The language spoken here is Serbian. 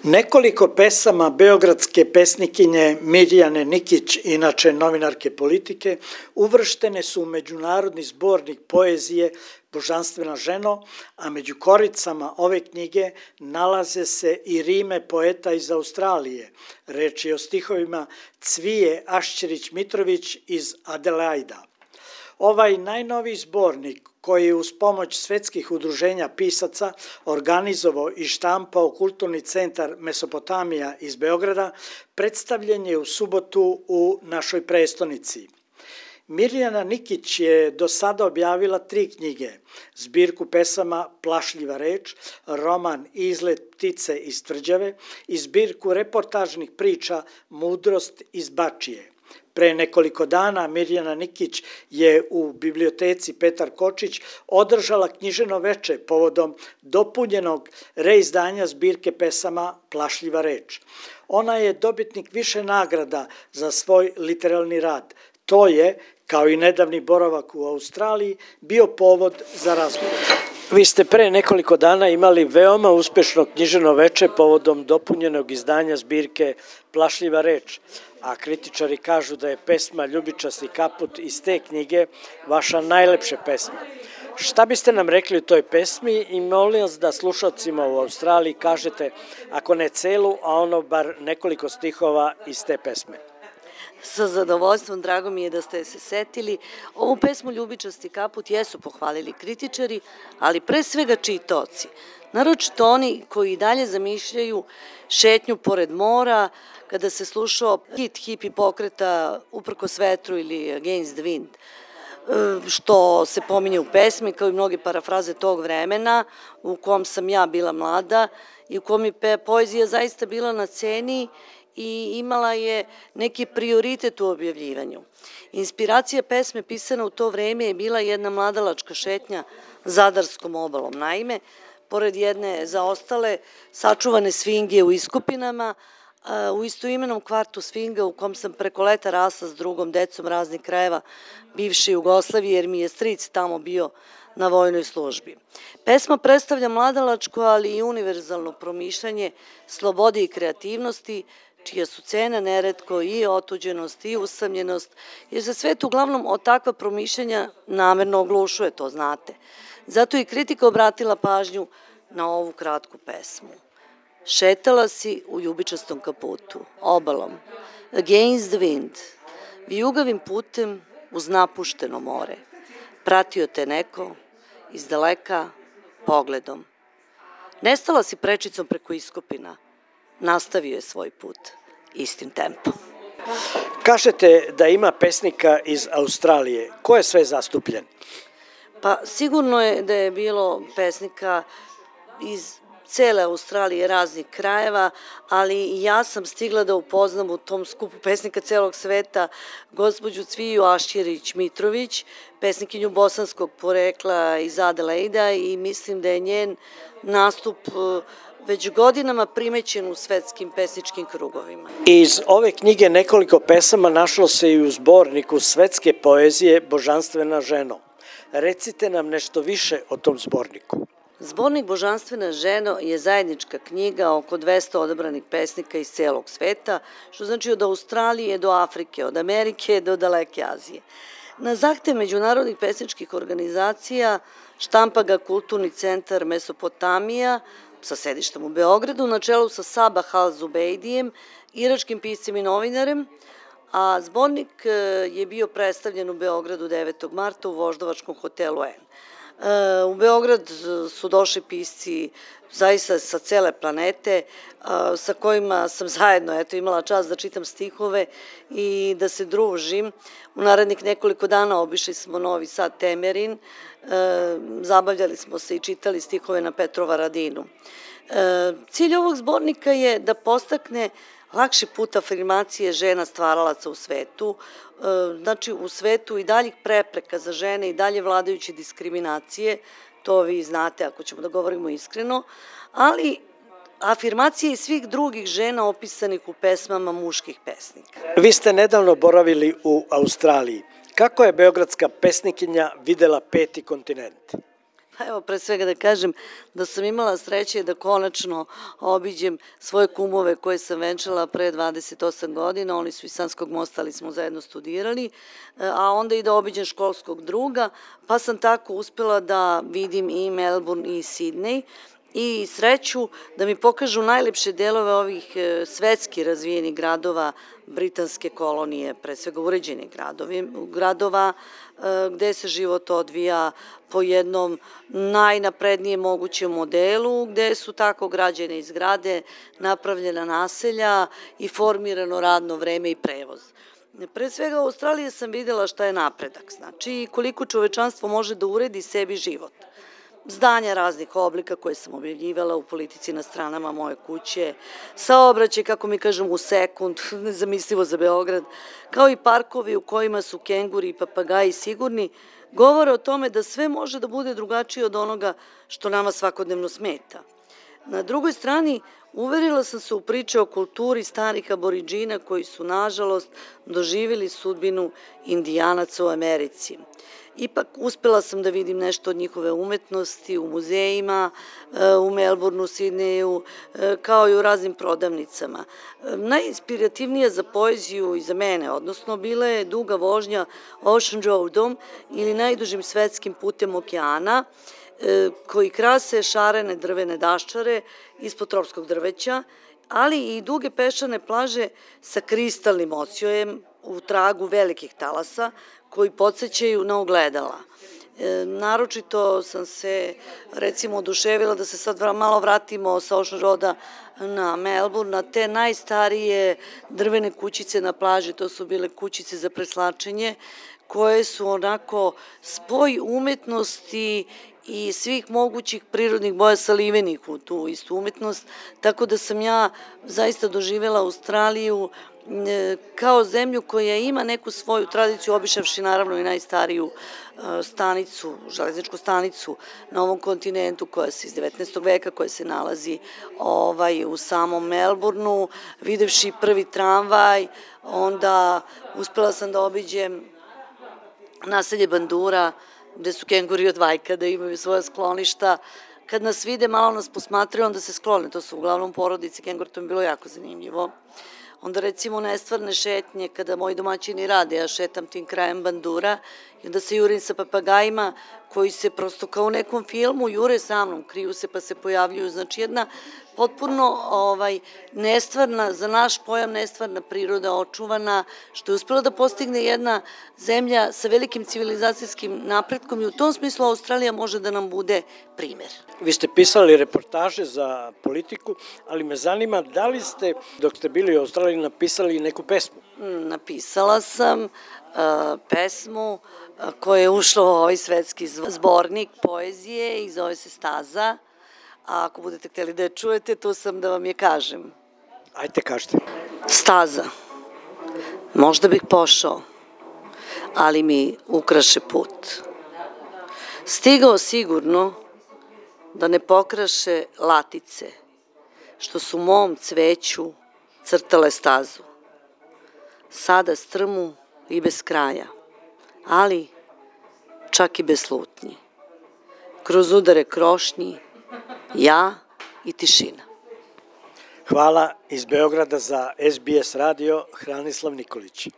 Nekoliko pesama beogradske pesnikinje Mirjane Nikić, inače novinarke politike, uvrštene su u međunarodni zbornik poezije Božanstvena ženo, a među koricama ove knjige nalaze se i rime poeta iz Australije. Reč je o stihovima Cvije Ašćerić-Mitrović iz Adelaida. Ovaj najnoviji zbornik, koji je uz pomoć svetskih udruženja pisaca organizovao i štampao Kulturni centar Mesopotamija iz Beograda, predstavljen je u subotu u našoj prestonici. Mirjana Nikić je do sada objavila 3 knjige, zbirku pesama Plašljiva reč, roman Izlet ptice iz Tvrđave i zbirku reportažnih priča Mudrost iz Bačije. Pre nekoliko dana Mirjana Nikić je u biblioteci Petar Kočić održala književno veče povodom dopunjenog reizdanja zbirke pesama Plašljiva reč. Ona je dobitnik više nagrada za svoj literalni rad. To je, kao i nedavni boravak u Australiji, bio povod za razgovor. Vi ste pre nekoliko dana imali veoma uspešno književno veče povodom dopunjenog izdanja zbirke Plašljiva reč, a kritičari kažu da je pesma Ljubičasti kaput iz te knjige vaša najlepša pesma. Šta biste nam rekli o toj pesmi i molim vas da slušalcima u Australiji kažete, ako ne celu, a ono bar nekoliko stihova iz te pesme? Sa zadovoljstvom, drago mi je da ste se setili. Ovu pesmu Ljubičasti kaput jesu pohvalili kritičari, ali pre svega čitaoci. Naročito oni koji i dalje zamišljaju šetnju pored mora, kada se slušao hit hipi pokreta Uprkos vetru ili Against the Wind, što se pominje u pesmi, kao i mnoge parafraze tog vremena u kom sam ja bila mlada i u kom je poezija zaista bila na ceni i imala je neki prioritet u objavljivanju. Inspiracija pesme pisana u to vreme je bila jedna mladalačka šetnja Zadarskom obalom. Naime, pored jedne zaostale sačuvane sfinge u Iskupinama, u istoimenom kvartu Sfinga u kom sam preko leta rasla s drugom decom raznih krajeva bivše Jugoslavije, jer mi je stric tamo bio na vojnoj službi. Pesma predstavlja mladalačko, ali i univerzalno promišljanje slobode i kreativnosti, čija su cena neretko i otuđenost i usamljenost, jer se svet uglavnom od takva promišljanja namerno oglušuje, to znate. Zato i kritika obratila pažnju na ovu kratku pesmu. Šetala si u ljubičastom kaputu, obalom, against the wind, vijugavim putem uz napušteno more. Pratio te neko, iz daleka, pogledom. Nestala si prečicom preko Iskopina, nastavio je svoj put istim tempom. Kažete da ima pesnika iz Australije. Ko je sve zastupljen? Pa sigurno je da je bilo pesnika iz cele Australije, raznih krajeva, ali ja sam stigla da upoznam u tom skupu pesnika celog sveta gospođu Cviju Ašćerić-Mitrović, pesnikinju bosanskog porekla iz Adelaida, i mislim da je njen nastup već godinama primećen u svetskim pesničkim krugovima. Iz ove knjige nekoliko pesama našlo se i u zborniku svetske poezije Božanstvena ženo. Recite nam nešto više o tom zborniku. Zbornik Božanstvena ženo je zajednička knjiga oko 200 odabranih pesnika iz celog sveta, što znači od Australije do Afrike, od Amerike do daleke Azije. Na zahtev međunarodnih pesničkih organizacija štampa ga Kulturni centar Mesopotamija sa sedištem u Beogradu, na čelu sa Sabah Al-Zubejdijem, iračkim piscem i novinarem, a zbornik je bio predstavljen u Beogradu 9. marta u Voždovačkom hotelu N. U Beograd su došli pisci zaista sa cele planete, sa kojima sam zajedno imala čast da čitam stihove i da se družim. U narednih nekoliko dana obišli smo Novi Sad, Temerin, zabavljali smo se i čitali stihove na Petrovaradinu. Cilj ovog zbornika je da podstakne lakši put afirmacije žena stvaralaca u svetu, znači u svetu i daljih prepreka za žene i dalje vladajuće diskriminacije, to vi znate ako ćemo da govorimo iskreno, ali afirmacije i svih drugih žena opisanih u pesmama muških pesnika. Vi ste nedavno boravili u Australiji. Kako je beogradska pesnikinja videla 5. kontinent? Pa evo, pre svega da kažem da sam imala sreće da konačno obiđem svoje kumove koje sam venčala pre 28 godina, oni su iz Sanskog Mosta, ali smo zajedno studirali, a onda i da obiđem školskog druga, pa sam tako uspela da vidim i Melbourne i Sidney, i sreću da mi pokažu najlepše delove ovih svetski razvijenih gradova britanske kolonije, pre svega uređenih gradova gde se život odvija po jednom najnaprednijem mogućem modelu, gde su tako građene zgrade, napravljena naselja i formirano radno vreme i prevoz. Pre svega u Australiji sam videla šta je napredak, znači koliko čovečanstvo može da uredi sebi život. Zdanja raznih oblika koje sam objavljivala u Politici na stranama moje kuće, saobraćaj, kako mi kažem, u sekund, nezamislivo za Beograd, kao i parkovi u kojima su kenguri i papagaji sigurni, govore o tome da sve može da bude drugačije od onoga što nama svakodnevno smeta. Na drugoj strani, uverila sam se u priče o kulturi starih aboriđina koji su, nažalost, doživjeli sudbinu Indijanaca u Americi. Ipak uspela sam da vidim nešto od njihove umetnosti u muzejima, u Melbourneu, Sidneju, kao i u raznim prodavnicama. Najinspirativnija za poeziju i za mene, odnosno, bila je duga vožnja Ocean Roadom ili najdužim svetskim putem okeana, koji krase šarene drvene daščare ispod tropskog drveća, ali i duge peščane plaže sa kristalnim odsjojem u tragu velikih talasa koji podsjećaju na ogledala. Naročito sam se, recimo, oduševila da se sad malo vratimo sa Ocean Roada na Melbourne, na te najstarije drvene kućice na plaži, to su bile kućice za preslačenje, koje su onako spoj umetnosti i svih mogućih prirodnih boja salivenih u tu istu umetnost, tako da sam ja zaista doživjela Australiju kao zemlju koja ima neku svoju tradiciju, obišavši naravno i najstariju stanicu, železničku stanicu na ovom kontinentu koja se iz 19. veka, koja se nalazi u samom Melbourneu, videvši prvi tramvaj, onda uspela sam da obiđem naselje Bandura, gde su kenguri od vajkada, imaju svoja skloništa. Kad nas vide, malo nas posmatraju, onda se sklone. To su uglavnom porodice kengura, to mi je bilo jako zanimljivo. Onda recimo nestvarne šetnje, kada moji domaćini rade, ja šetam tim krajem Bandura i onda se jurim sa papagajima koji se prosto kao u nekom filmu jure sa mnom, kriju se pa se pojavljuju. Znači jedna potpuno nestvarna, za naš pojam nestvarna priroda, očuvana, što je uspela da postigne jedna zemlja sa velikim civilizacijskim napretkom i u tom smislu Australija može da nam bude primer. Vi ste pisali reportaže za Politiku, ali me zanima da li ste, dok ste bili u Australiji, napisali neku pesmu? Napisala sam pesmu koja je ušla u ovaj svetski zbornik poezije i zove se Staza. A ako budete hteli da je čujete, tu sam da vam je kažem. Ajde, kažete. Staza. Možda bih pošao, ali mi ukraše put. Stigao sigurno da ne pokraše latice, što su mom cveću crtale stazu. Sada strmu i bez kraja, ali čak i bez slutnji. Kroz udare krošnji, ja i tišina. Hvala iz Beograda za SBS radio, Hranislav Nikolić.